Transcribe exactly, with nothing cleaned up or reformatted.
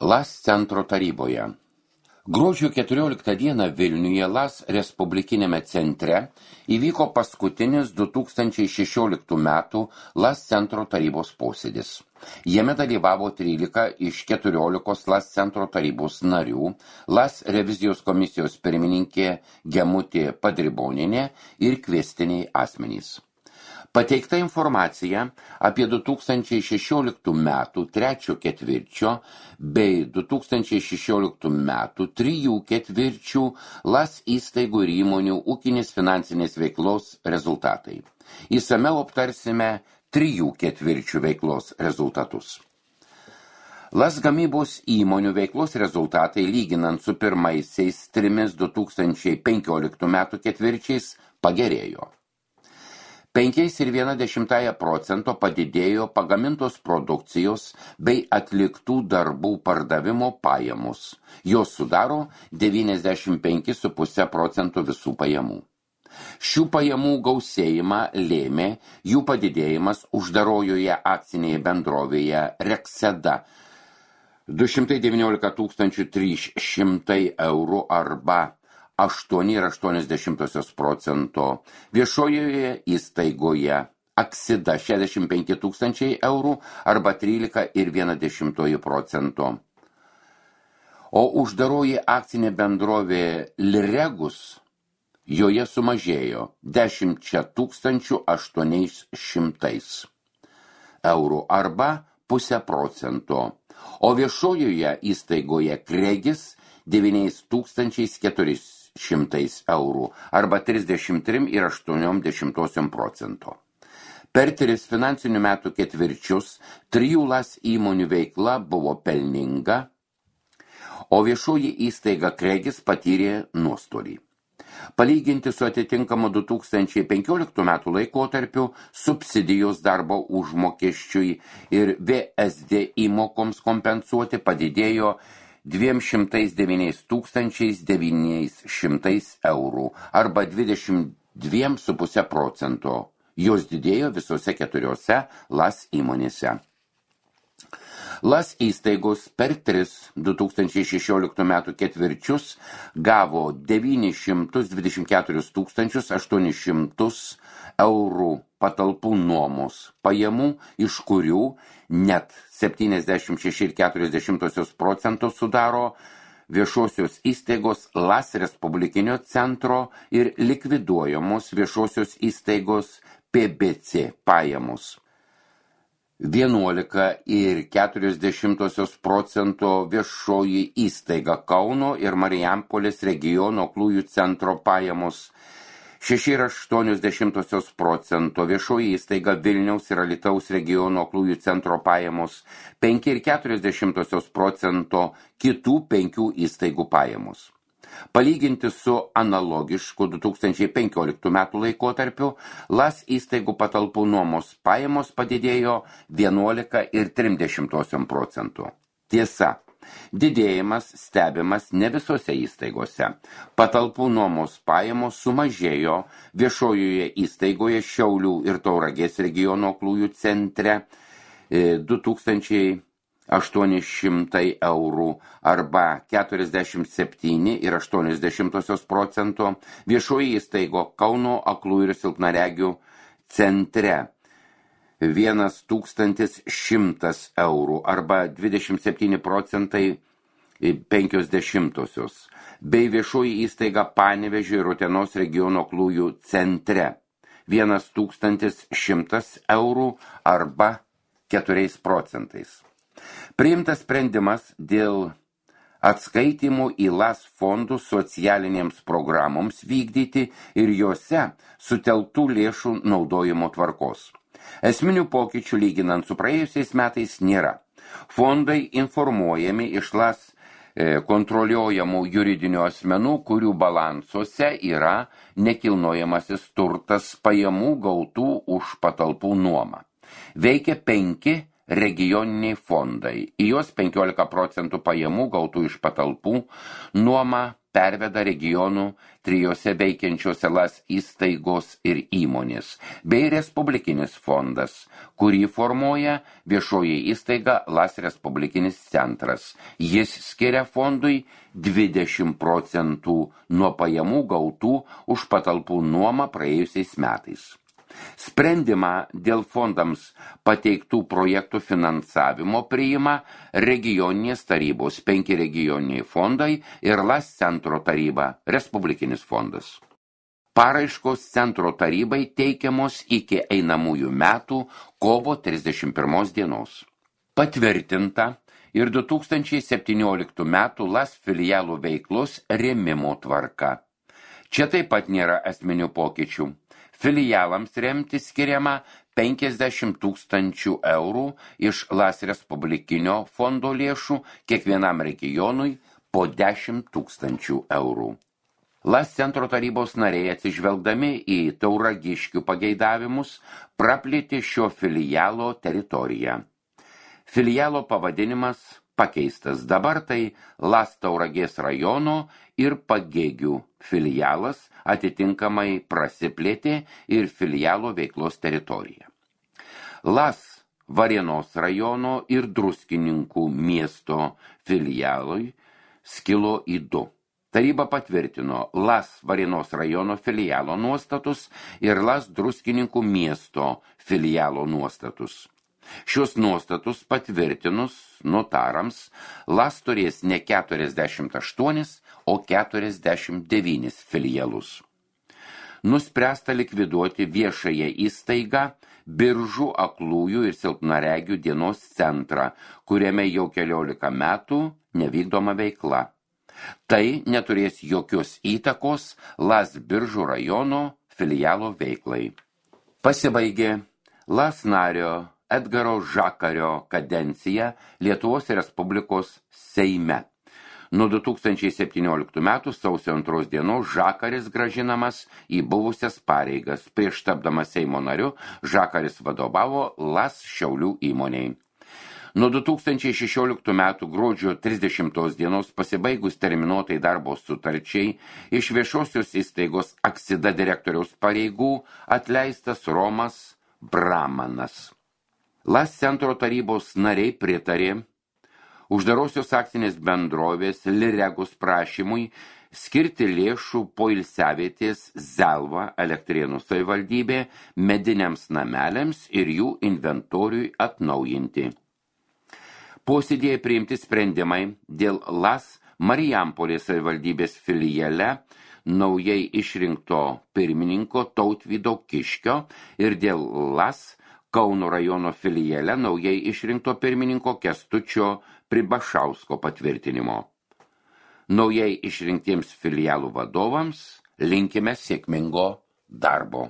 LAS centro taryboje. Gruodžio keturioliktą dieną Vilniuje LAS Respublikinėme centre įvyko paskutinis du tūkstančiai šešioliktų metų LAS centro tarybos posėdis. Jame dalyvavo trylika iš keturiolikos LAS centro tarybos narių, LAS revizijos komisijos pirmininkė Gemutė Padribonienė ir kviestiniai asmenys. Pateikta informacija apie du tūkstančiai šešioliktų metų trečio ketvirčio bei du tūkstančiai šešioliktų metų trijų ketvirčių LAS įstaigų ir įmonių ūkinės finansinės veiklos rezultatai. Išsamiau aptarsime trijų ketvirčių veiklos rezultatus. LAS gamybos įmonių veiklos rezultatai lyginant su pirmaisiais trimis du tūkstančiai penkioliktų metų ketvirčiais pagerėjo. penki ir viena dešimtąją procento padidėjo pagamintos produkcijos bei atliktų darbų pardavimo pajamos. Jos sudaro devyniasdešimt penki ir pusė procento visų pajamų. Šių pajamų gausėjimą lėmė jų padidėjimas uždarojoje akcinėje bendrovėje Rekseda du šimtai devyniolika tūkstančių trys šimtai eurų arba aštuoni ir aštuonios dešimtosios procento, viešojoje įstaigoje Aksida šešiasdešimt penki tūkstančiai eurų arba trylika ir viena dešimtoji procento. O uždaroji akcinė bendrovė Liregus joje sumažėjo dešimt tūkstančių aštuoniais šimtais eurų arba pusę procento, o viešojoje įstaigoje Kregis devyniais tūkstančiais keturiais šimtais eurų arba trisdešimt tris ir aštuonios dešimtosios procento. Per tris finansinių metų ketvirčius trijų LAS įmonių veikla buvo pelninga, o viešoji įstaiga Kregis patyrė nuostolį. Palyginti su atitinkamu du tūkstančiai penkioliktų metų laikotarpiu subsidijos darbo užmokesčiui ir V S D įmokoms kompensuoti padidėjo dviem šimtais devyniais tūkstančiais devyniais šimtais eurų arba dvidešimt dvi ir pusė procento. Jos didėjo visose keturiose LAS įmonėse. LAS įstaigos per tris du tūkstančiai šešioliktų metų ketvirčius gavo devynis šimtus dvidešimt keturis tūkstančius aštuonis šimtus eurų patalpų nuomos pajamų, iš kurių net septyniasdešimt šeši ir keturios dešimtosios procento sudaro viešosios įstaigos LAS Respublikinio centro ir likviduojamos viešosios įstaigos P B C pajamos. vienuolika ir keturios dešimtosios procento viešoji įstaiga Kauno ir Marijampolės regiono aklųjų centro pajamos, šeši ir aštuonios dešimtosios procento viešoji įstaiga Vilniaus ir Alytaus regiono aklųjų centro pajamos, penki ir keturios dešimtosios procento kitų penkių įstaigų pajamos. Palyginti su analogišku du tūkstančiai penkioliktų metų laikotarpiu, LAS įstaigų patalpų nuomos pajamos padidėjo vienuolika ir tris dešimtosios procento. Tiesa, didėjimas stebimas ne visose įstaigose. Patalpų nuomos pajamos sumažėjo viešojoje įstaigoje Šiaulių ir Tauragės regiono aklųjų centre du tūkstančiai aštuoni šimtai eurų arba keturiasdešimt septyni ir aštuonios dešimtosios procento, viešoji įstaigo Kauno aklųjų ir silpnaregių centre vienas tūkstantis šimtas eurų arba dvidešimt septyni procentai penkios dešimtosios, bei viešoji įstaiga Panevėžio ir Utenos regiono aklųjų centre vienas tūkstantis šimtas eurų arba keturiais procentais. Priimtas sprendimas dėl atskaitimų į LAS fondų socialinėms programoms vykdyti ir juose sutelktų lėšų naudojimo tvarkos. Esminių pokyčių lyginant su praėjusiais metais nėra. Fondai informuojami iš LAS kontroliuojamų juridinių asmenų, kurių balansuose yra nekilnojamasis turtas pajamų gautų už patalpų nuomą. Veikia penki regioniniai fondai. Į juos penkiolika procentų pajamų gautų iš patalpų nuoma perveda regionų trijose veikiančiose LAS įstaigos ir įmonės, bei Respublikinis fondas, kurį formuoja viešoji įstaiga LAS Respublikinis centras. Jis skiria fondui dvidešimt procentų nuo pajamų gautų už patalpų nuomą praėjusiais metais. Sprendimą dėl fondams pateiktų projektų finansavimo priima regioninės tarybos, penki regioniniai fondai ir LAS centro taryba, Respublikinis fondas. Paraiškos centro tarybai teikiamos iki einamųjų metų kovo trisdešimt pirmos dienos. Patvirtinta ir du tūkstančiai septynioliktų metų LAS filialų veiklos rėmimo tvarka. Čia taip pat nėra esminių pokyčių. Filialams remti skiriama penkiasdešimt tūkstančių eurų iš LAS Respublikinio fondo lėšų, kiekvienam regionui po dešimt tūkstančių eurų. LAS centro tarybos nariai atsižvelgdami į Tauragiškių pageidavimus praplėtė šio filialo teritoriją. Filialo pavadinimas pakeistas, dabar tai LAS Tauragės rajono ir Pagėgių filialas, atitinkamai prasiplėtė ir filialo veiklos teritorija. LAS Varėnos rajono ir Druskininkų miesto filialui skilo į du. Taryba patvirtino LAS Varėnos rajono filialo nuostatus ir LAS Druskininkų miesto filialo nuostatus. Šios nuostatus patvirtinus notarams LAS turės ne keturiasdešimt aštuonis, o keturiasdešimt devynis filialus. Nuspręsta likviduoti viešąją įstaigą Biržų aklųjų ir silpnaregių dienos centrą, kuriame jau keliolika metų nevykdoma veikla. Tai neturės jokios įtakos LAS Biržų rajono filialo veiklai. Pasibaigė LAS nario Edgaro Žakario kadencija Lietuvos Respublikos Seime. Nuo du tūkstančiai septynioliktų metų sausio antros dienos Žakaris grąžinamas į buvusias pareigas. Prieš tapdamas Seimo nariu Žakaris vadovavo LAS Šiaulių įmonei. Nuo du tūkstančiai šešioliktų metų gruodžio trisdešimtos dienos pasibaigus terminuotai darbo sutarčiai iš viešosios įstaigos Aksida direktoriaus pareigų atleistas Romas Bramanas. LAS centro tarybos nariai pritarė uždarosios akcinės bendrovės Liregos prašymui skirti lėšų poilsiavietės Zelva Elektrėnų savivaldybė mediniams nameliams ir jų inventoriui atnaujinti. Posėdėje priimti sprendimai dėl LAS Marijampolės savivaldybės filiale naujai išrinkto pirmininko Tautvydo Kiškio ir dėl LAS Kauno rajono filiale naujai išrinkto pirmininko Kęstučio Pribašausko patvirtinimo. Naujai išrinktiems filialų vadovams linkime sėkmingo darbo.